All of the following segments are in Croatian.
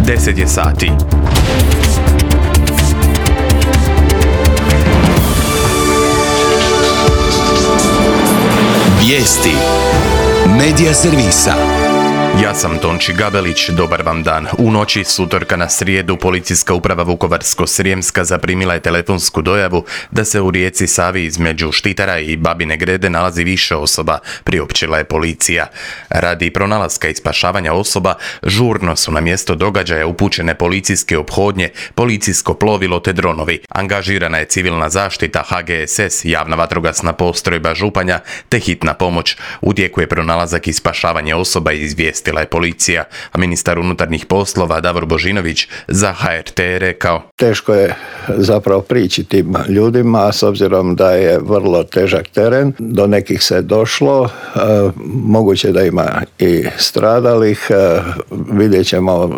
10 je sati. Vijesti Medija servisa. Ja sam Tonči Gabelić, dobar vam dan. U noći s utorka na srijedu Policijska uprava Vukovarsko-srijemska zaprimila je telefonsku dojavu da se u rijeci Savi između Štitara i Babine Grede nalazi više osoba, priopćila je policija. Radi pronalaska i spašavanja osoba, žurno su na mjesto događaja upućene policijske ophodnje, policijsko plovilo te dronovi. Angažirana je civilna zaštita, HGSS, javna vatrogasna postrojba Županja te hitna pomoć. U tijeku je pronalazak i spašavanje osoba, izvijestila je policija, a ministar unutarnjih poslova Davor Božinović za HRT je rekao: Teško je zapravo prići tim ljudima, s obzirom da je vrlo težak teren. Do nekih se došlo, moguće da ima i stradalih. Vidjet ćemo,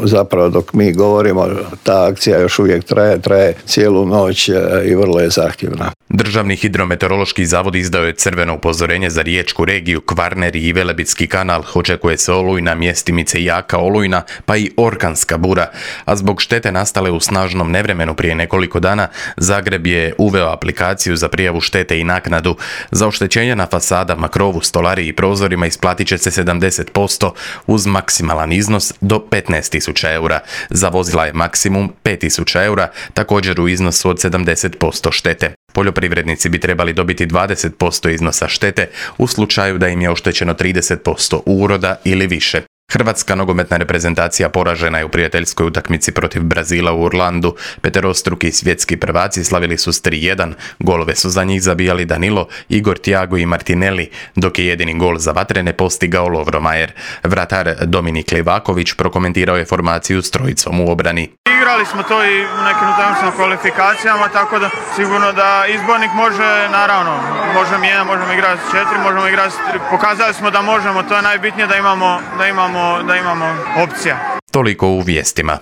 zapravo dok mi govorimo, ta akcija još uvijek traje cijelu noć i vrlo je zahtjevna. Državni hidrometeorološki zavod izdao je crveno upozorenje za riječku regiju, Kvarner i Velebitski kanal. Očekuje se olujna, mjestimice jaka olujna, pa i orkanska bura. A zbog štete nastale u snažnom nevremenu prije nekoliko dana, Zagreb je uveo aplikaciju za prijavu štete i naknadu. Za oštećenja na fasadama, krovu, stolariji i prozorima isplatit će se 70% uz maksimalan iznos do 15.000 eura. Za vozila je maksimum 5.000 eura, također u iznosu od 70% štete. Poljoprivrednici bi trebali dobiti 20% iznosa štete u slučaju da im je oštećeno 30% uroda ili više. Hrvatska nogometna reprezentacija poražena je u prijateljskoj utakmici protiv Brazila u Orlandu. Peterostruki svjetski prvaci slavili su s 3:1. Golove su za njih zabijali Danilo, Igor Thiago i Martinelli, dok je jedini gol za vatrene postigao Lovro Majer. Vratar Dominik Livaković prokomentirao je formaciju s trojicom u obrani. Igrali smo to i u nekim utakmicama kvalifikacijama, tako da sigurno da izbornik može, naravno, možemo jedan, možemo igrati 4, možemo igrati 3. Pokazali smo da možemo, to je najbitnije, da imamo opcija. Toliko u vijestima.